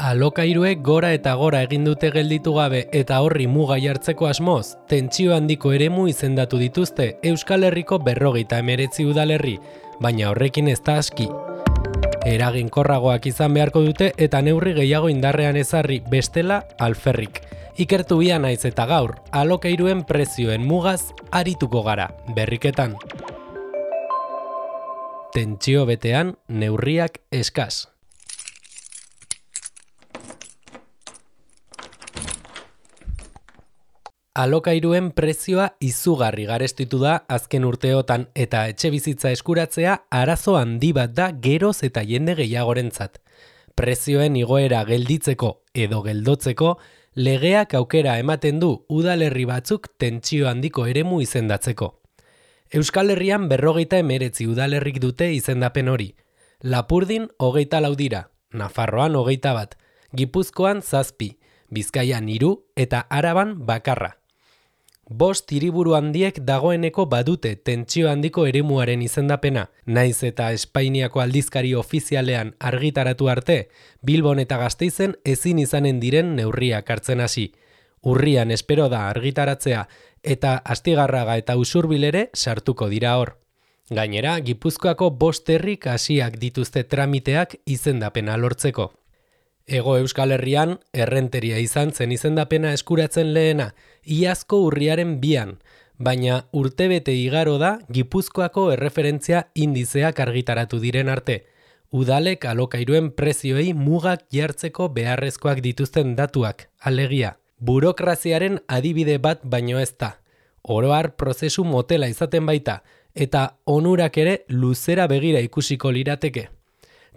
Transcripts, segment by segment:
Alokairuek gora eta gora egin dute gelditu gabe eta horri muga jartzeko asmoz, tentsio handiko eremu izendatu dituzte Euskal Herriko 59 udalerri, baina horrekin ez da aski. Eraginkorragoak izan beharko dute eta neurri gehiago indarrean ezarri bestela alferrik. Ikertu bia naiz eta gaur, alokairuen prezioen mugaz arituko gara, berriketan. Tentsio betean neurriak eskas. Alokairuen prezioa izugarri garestitu da azken urteotan eta etxebizitza eskuratzea arazo handi bat da geroz eta jende gehiagorentzat. Prezioen igoera gelditzeko edo geldotzeko, legeak aukera ematen du udalerri batzuk tentsio handiko eremu izendatzeko. Euskal Herrian 59 udalerrik dute izendapen hori. Lapurdin 24 dira, Nafarroan 21, Gipuzkoan 7, Bizkaian 3 eta Araban bakarra. 5 hiriburu handiek dagoeneko badute tentsio handiko eremuaren izendapena, naiz eta Espainiako aldizkari ofizialean argitaratu arte, Bilbon eta Gasteizen ezin izanen diren neurriak hartzen hasi. Urrian espero da argitaratzea eta Astigarraga eta Usurbil ere sartuko dira hor. Gainera, Gipuzkoako 5 herrik hasiak dituzte tramiteak izendapena lortzeko. Hego Euskal Herrian, errenteria izan zen izendapena eskuratzen lehena, iazko urriaren 2, baina urtebete igaro da Gipuzkoako erreferentzia indizeak argitaratu diren arte. Udalek alokairuen prezioei mugak jartzeko beharrezkoak dituzten datuak, alegia. Burokraziaren adibide bat baino ez da. Oro har prozesu motela izaten baita, eta onurak ere luzera begira ikusiko lirateke.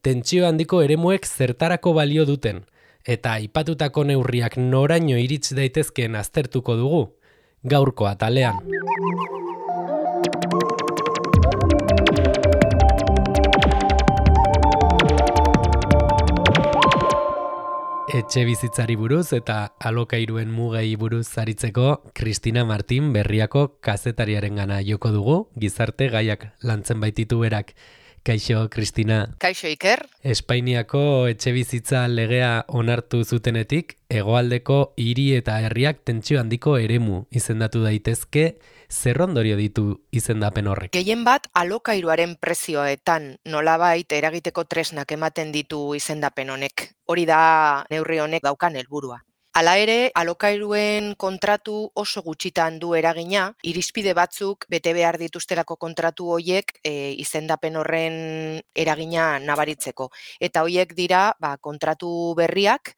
Tentsio handiko eremuek zertarako balio duten, eta aipatutako neurriak noraino irits daitezkeen aztertuko dugu, gaurko atalean. Etxebizitzari buruz eta alokairuen mugei buruz aritzeko Kristina Martin Berriako kazetariarengana joko dugu, gizarte gaiak lantzen baititu berak. Kaixo, Kristina. Kaixo, Iker. Espainiako etxebizitza legea onartu zutenetik, hegoaldeko hiri eta herriak tentsio handiko eremu izendatu daitezke, zer ondorio ditu izendapen horrek? Gehien bat, alokairuaren prezioetan nolabait eragiteko tresnak ematen ditu izendapen honek. Hori da neurri honek daukan helburua. Hala ere, alokairuen kontratu oso gutxitan du eragina, irizpide batzuk bete behar dituztelako kontratu hoiek izendapen horren eragina nabaritzeko. Eta hoiek dira kontratu berriak,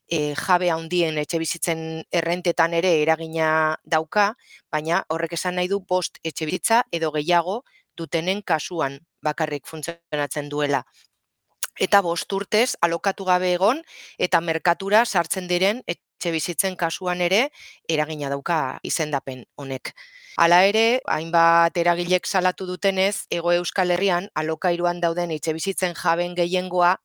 jabe handien etxebizitzen errentetan ere eragina dauka, baina horrek esan nahi du 5 etxebizitza edo gehiago dutenen kasuan bakarrik funtzionatzen duela. Eta 5 urtez alokatu gabe egon eta merkatura sartzen diren etxebizitzen kasuan ere eragina dauka izendapen honek. Hala ere, hainbat eragilek salatu dutenez, Hego Euskal Herrian alokairuan dauden etxebizitzen jaben gehiengoa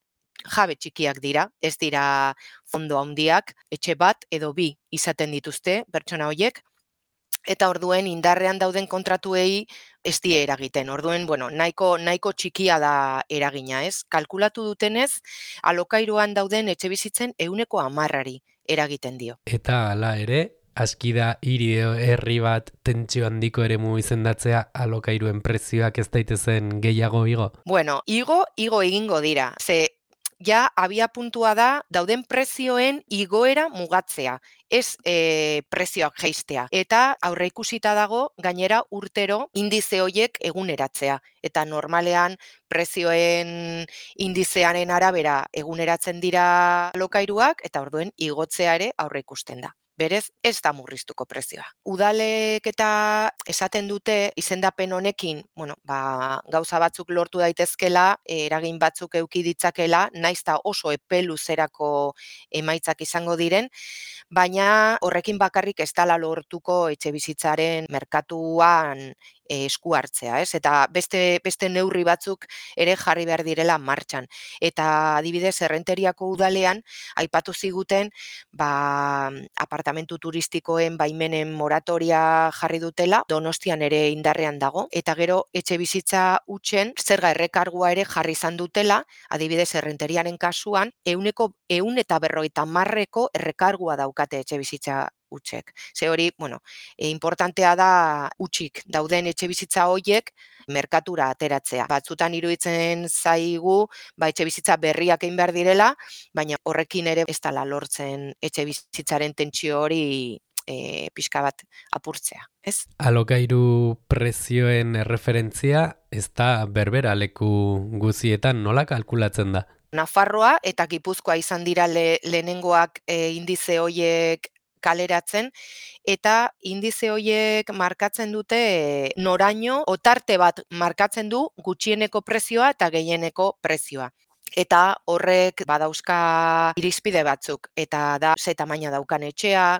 jabe txikiak dira, ez dira fondo handiak, etxe bat edo 2 izaten dituzte pertsona horiek. Eta orduen indarrean dauden kontratuei ez die eragiten. Orduen, nahiko txikia da eragina, ez? Kalkulatu dutenez, alokairuan dauden etxebizitzen 10%-ari eragiten dio. Eta hala ere, aski da hiri herri bat tentsio handiko eremu izendatzea alokairuen prezioak ez daitezen gehiago igo? Igo egingo dira. Ja, abia puntua da, dauden prezioen igoera mugatzea, ez prezioak jaistea. Eta aurreikusita dago, gainera urtero indize hoiek eguneratzea. Eta normalean prezioen indizearen arabera eguneratzen dira alokairuak, eta orduen igotzea ere aurreikusten da. Berez, ez da murriztuko prezioa. Udalek eta esaten dute izendapen honekin, gauza batzuk lortu daitezkela, eragin batzuk eduki ditzakela, naiz eta oso epe luzerako emaitzak izango diren, baina horrekin bakarrik ez dela lortuko etxebizitzaren merkatuan esku hartzea, ez? Eta beste neurri batzuk ere jarri behar direla martxan. Eta adibidez, Errenteriako udalean aipatu ziguten apartamentu turistikoen baimenen moratoria jarri dutela, Donostian ere indarrean dago, eta gero etxebizitza hutsen zerga errekargua ere jarri izan dutela, adibidez Errenteriaren kasuan, 150 errekargua daukate etxebizitza hutsek. Ze hori, importantea da hutsik dauden etxebizitza hoiek merkatura ateratzea. Batzutan iruditzen zaigu, etxebizitza berriak egin behar direla, baina horrekin ere ez dela lortzen etxebizitzaren tentsio hori pixka bat apurtzea, ez? Alokairu prezioen erreferentzia ez da berbera leku guzietan, nola kalkulatzen da? Nafarroa eta Gipuzkoa izan dira lehenengoak indize hoiek kaleratzen, eta indize hoiek markatzen dute noraino, otarte bat markatzen du gutxieneko prezioa eta gehieneko prezioa. Eta horrek badauzka irizpide batzuk, eta da ze tamaina daukan etxea,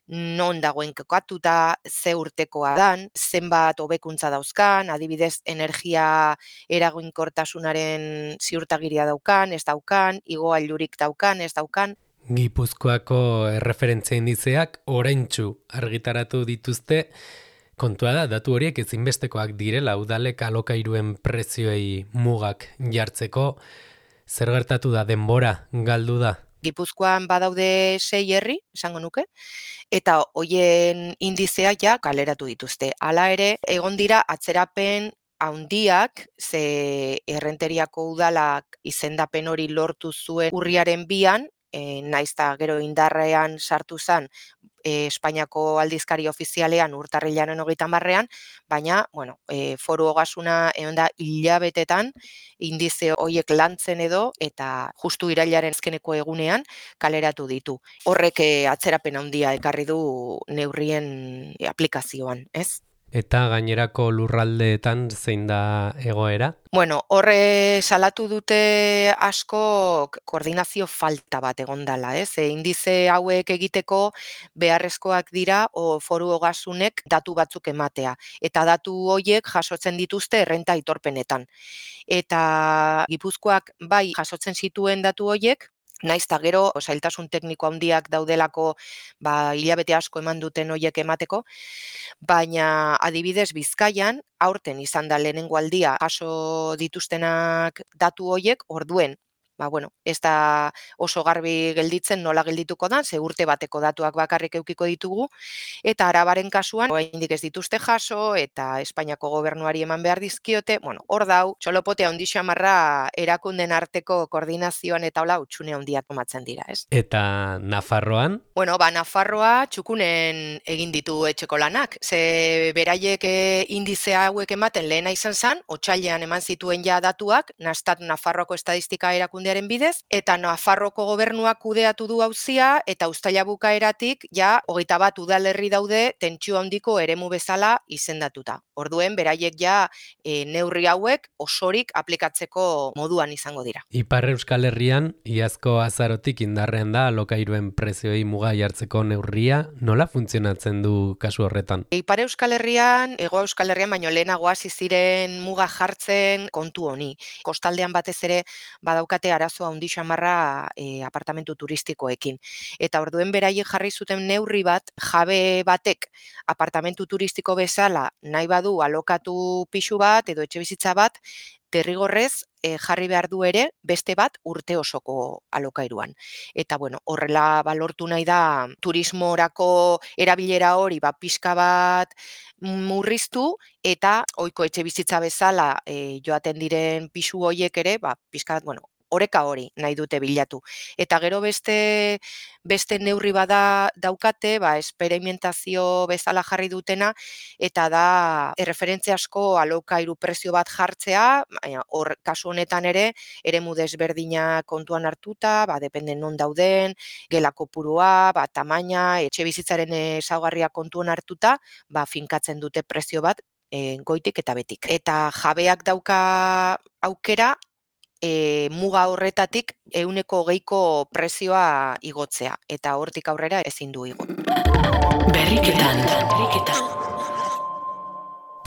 non dagoen kokatuta, ze urtekoa dan, zenbat hobekuntza dauzkan, adibidez energia eraginkortasunaren ziurtagiria daukan, ez daukan, igogailurik daukan, ez daukan. Gipuzkoako erreferentzia indizeak oraintsu argitaratu dituzte. Kontua da, datu horiek ezinbestekoak direla udalek alokairuen prezioei mugak jartzeko. Zer gertatu da, denbora galdu da? Gipuzkoan badaude 6 herri, esango nuke, eta hoien indizeak ja kaleratu dituzte. Hala ere, egon dira atzerapen handiak, ze Errenteriako udalak izendapen hori lortu zuen urriaren 2an, naiz eta gero indarrean sartu zen Espainiako aldizkari ofizialean urtarrilaren 30ean, baina, Foru Ogasuna egon da hilabetetan indize horiek lantzen edo, eta justu irailaren azkeneko egunean kaleratu ditu. Horrek atzerapen handia ekarri du neurrien aplikazioan, ez? Eta gainerako lurraldeetan zein da egoera? Horre salatu dute asko koordinazio falta bat egondala, ez? Indize hauek egiteko beharrezkoak dira Foru Ogasunek datu batzuk ematea, eta datu horiek jasotzen dituzte errenta aitorpenetan. Eta Gipuzkoak bai jasotzen zituen datu horiek, naiz eta gero zailtasun tekniko handiak daudelako hilabete asko eman duten horiek emateko, baina adibidez Bizkaian aurten izan da lehenengo aldia jaso dituztenak datu horiek, orduen ez da oso garbi gelditzen nola geldituko da, ze urte bateko datuak bakarrik edukiko ditugu, eta Arabaren kasuan oraindik ez dituzte jaso, eta Espainiako gobernuari eman behar dizkiote, hor dau, txolopote handi xamarra erakunden arteko koordinazioan eta hola utxune handiak tomatzen dira, ez? Eta Nafarroan? Nafarroa txukunen egin ditu etxeko lanak, ze beraiek indize hauek ematen lehena izan zen, otsailean eman zituen ja datuak, Nastat Nafarroako estadistika erakundearen bidez, eta Nafarroko gobernuak kudeatu du auzia, eta uztaila bukaeratik ja 21 udalerri daude tentsio handiko eremu bezala izendatuta. Orduen beraiek ja neurri hauek osorik aplikatzeko moduan izango dira. Ipar Euskal Herrian iazko azarotik indarrean da alokairuen prezioei muga jartzeko neurria, nola funtzionatzen du kasu horretan? Ipar Euskal Herrian, Hego Euskal Herrian baino lehenago hasi ziren muga jartzen kontu honi. Kostaldean batez ere badaukate arazo handi xamarra apartamentu turistikoekin. Eta orduen beraiek jarri zuten neurri bat, jabe batek apartamentu turistiko bezala nahi badu alokatu pisu bat edo etxebizitza bat, derrigorrez jarri behar du ere beste bat urte osoko alokairuan. Eta horrela balortu nahi da turismorako erabilera hori pixka bat murriztu, eta ohiko etxebizitza bezala joaten diren pisu horiek ere pixka bat, oreka hori nahi dute bilatu. Eta gero beste neurri bada daukate, esperimentazio bezala jarri dutena, eta da erreferentzia asko alokairu prezio bat jartzea, hor kasu honetan ere, eremu desberdina kontuan hartuta, dependen non dauden, gela kopurua, tamaina, etxebizitzaren ezaugarria kontuan hartuta, finkatzen dute prezio bat goitik eta betik. Eta jabeak dauka aukera, muga horretatik 20% prezioa igotzea, eta hortik aurrera ezin du igo. Berriketan.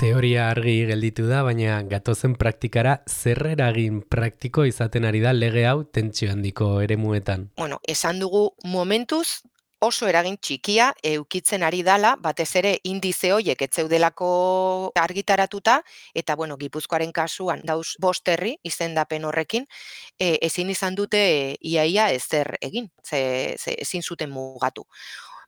Teoria argi gelditu da, baina gatozen praktikara zer eragin praktiko izaten ari da lege hau tentsio handiko eremuetan. Bueno, esan dugu momentuz oso eragin txikia eukitzen ari dala, batez ere indize hoiek ez zeudelako argitaratuta, eta bueno, Gipuzkoaren kasuan dauz 5 herri izendapen horrekin, ezin izan dute iaia ezer egin, ze ezin zuten mugatu.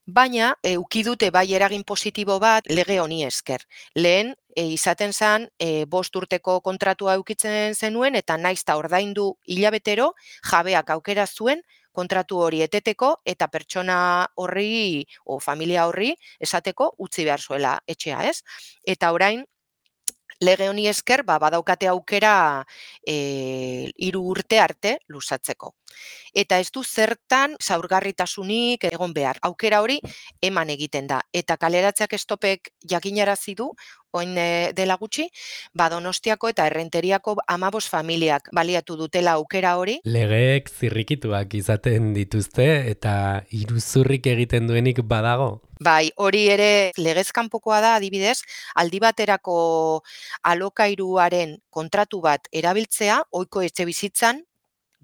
Baina, euki dute bai eragin positibo bat lege honi esker. Lehen, izaten zen, 5 urteko kontratua eukitzen zenuen, eta naiz ta ordaindu hilabetero, jabeak aukera zuen kontratu hori eteteko, eta pertsona horri, o familia horri, esateko utzi behar zuela etxea, ez? Eta orain, lege honi esker, badaukate aukera 3 urte arte luzatzeko. Eta ez du zertan zaurgarritasunik egon behar. Aukera hori eman egiten da. Eta kaleratzeak estopek jakinarazi du, oin dela gutxi, Donostiako eta Errenteriako 15 familiak baliatu dutela aukera hori. Legeek zirrikituak izaten dituzte eta iruzurrik egiten duenik badago. Bai, hori ere legez kanpokoa da, adibidez, aldi baterako alokairuaren kontratu bat erabiltzea, ohiko etxebizitzan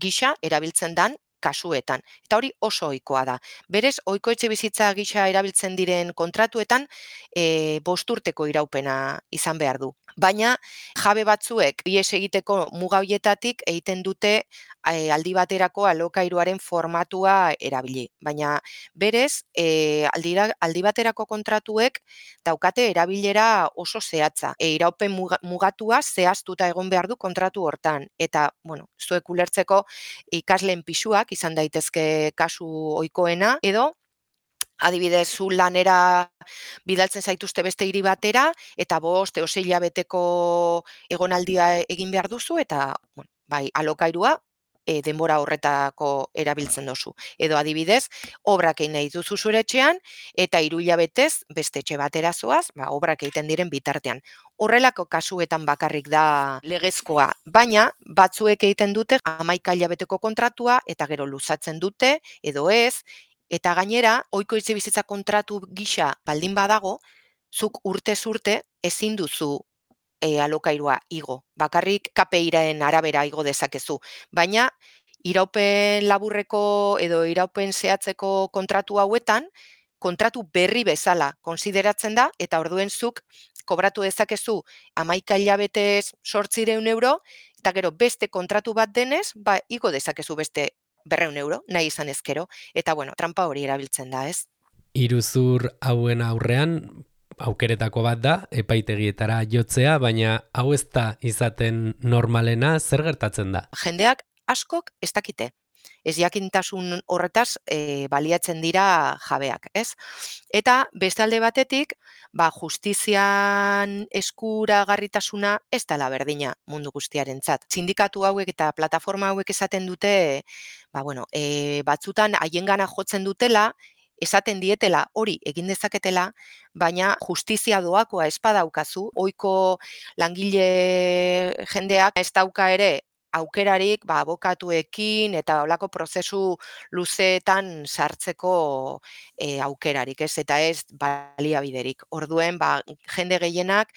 gisa erabiltzen dan kasuetan. Eta hori oso ohikoa da. Berez, ohiko etxebizitza gisa erabiltzen diren kontratuetan 5 urteko iraupena izan behar du. Baina jabe batzuek ihes egiteko muga hoietatik egiten dute aldi baterako alokairuaren formatua erabili. Baina berez, aldi baterako kontratuek daukate erabilera oso zehatza. Iraupen mugatua zehaztuta egon behar du kontratu hortan. Eta, bueno, zuek ulertzeko ikasleen pisuak izan daitezke kasu ohikoena, edo adibidez, zu lanera bidaltzen zaituzte beste hiri batera, eta 5 edo 6 hilabeteko egonaldia egin behar duzu, eta bueno, bai, alokairua denbora horretako erabiltzen duzu. Edo adibidez, obrak egin nahi duzu zure etxean, eta 3 hilabetez beste etxe batera zoaz, obrak egiten diren bitartean. Horrelako kasuetan bakarrik da legezkoa, baina batzuek egiten dute 11 hilabeteko kontratua, eta gero luzatzen dute, edo ez, eta gainera, ohiko etxebizitza kontratu gisa baldin badago, zuk urtez urte ezin duzu alokairua igo. Bakarrik KPI-ren arabera igo dezakezu. Baina, iraupen laburreko edo iraupen zehatzeko kontratu hauetan, kontratu berri bezala konsideratzen da, eta orduen zuk kobratu dezakezu 11 hilabetez 800 euro, eta gero beste kontratu bat denez, igo dezakezu beste 200 euro, nahi izan ezkero, eta bueno, trampa hori erabiltzen da, ez? Iruzur hauen aurrean aukeretako bat da, epaitegietara jotzea, baina hau ez da izaten normalena, zer gertatzen da? Jendeak askok ez dakite. Ez jakintasun horretaz baliatzen dira jabeak, ez? Eta beste alde batetik, justizian eskuragarritasuna ez dela berdina mundu guztiarentzat. Sindikatu hauek eta plataforma hauek esaten dute, batzutan haiengana jotzen dutela, esaten dietela hori egin dezaketela, baina justizia doakoa ez badaukazu, ohiko langile jendeak ez dauka ere aukerarik abokatuekin eta holako prozesu luzeetan sartzeko aukerarik, ez? Eta ez baliabiderik. Orduen, jende gehienak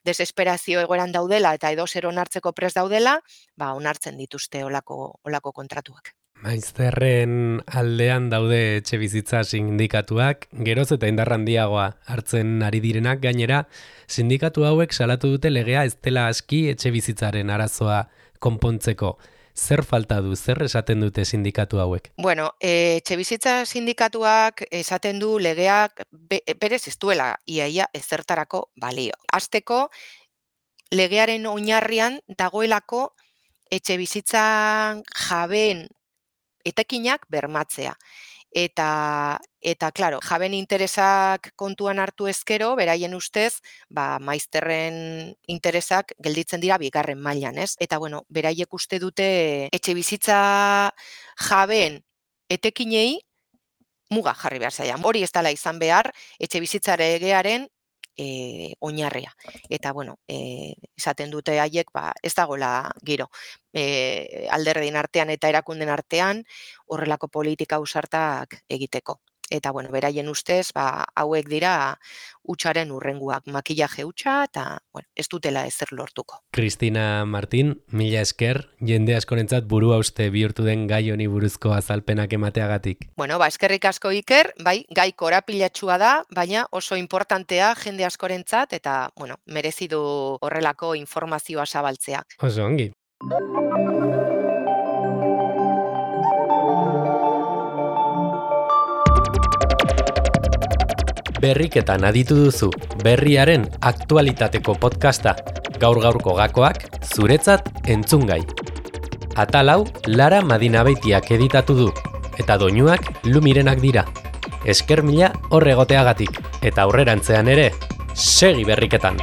desesperazio egoeran daudela eta edozer onartzeko prest daudela, onartzen dituzte holako kontratuak. Maizterren aldean daude etxebizitza sindikatuak, geroz eta indar handiagoa hartzen ari direnak, gainera sindikatu hauek salatu dute legea ez dela aski etxebizitzaren arazoa konpontzeko. Zer falta du, zer esaten dute sindikatu hauek? Bueno, etxebizitza sindikatuak esaten du legeak berez ez duela iaia ezertarako balio. Hasteko, legearen oinarrian dagoelako etxebizitzan jabeen etekinak bermatzea. Eta claro, jaben interesak kontuan hartu ezkero, beraien ustez, maizterren interesak gelditzen dira bigarren mailan, ez? Eta bueno, beraiek uste dute etxebizitza jaben etekinei muga jarri behar zaila. Hori ez dela izan behar etxebizitza legearen oinarria. Eta bueno, esaten dute haiek ez dagoela giro. Alderdien artean eta erakunden artean horrelako politika ausartak egiteko. eta beraien ustez, hauek dira hutsaren hurrenguak, makillaje hutsa eta ez dutela ezer lortuko. Cristina Martín, mila esker, jende askorentzat burua uste bihurtu den gai honi buruzko azalpenak emateagatik. Eskerrik asko Iker, gai korapilatsua da, baina oso importantea jende askorentzat eta, merezi du horrelako informazioa zabaltzea. Oso ongi. Berriketan aditu duzu, berriaren aktualitateko podcasta, gaur-gaurko gakoak, zuretzat entzungai. Atal hau Lara Madinabeitiak editatu du, eta doinuak Lumirenak dira. Esker mila hor egoteagatik, eta aurrerantzean ere, segi berriketan!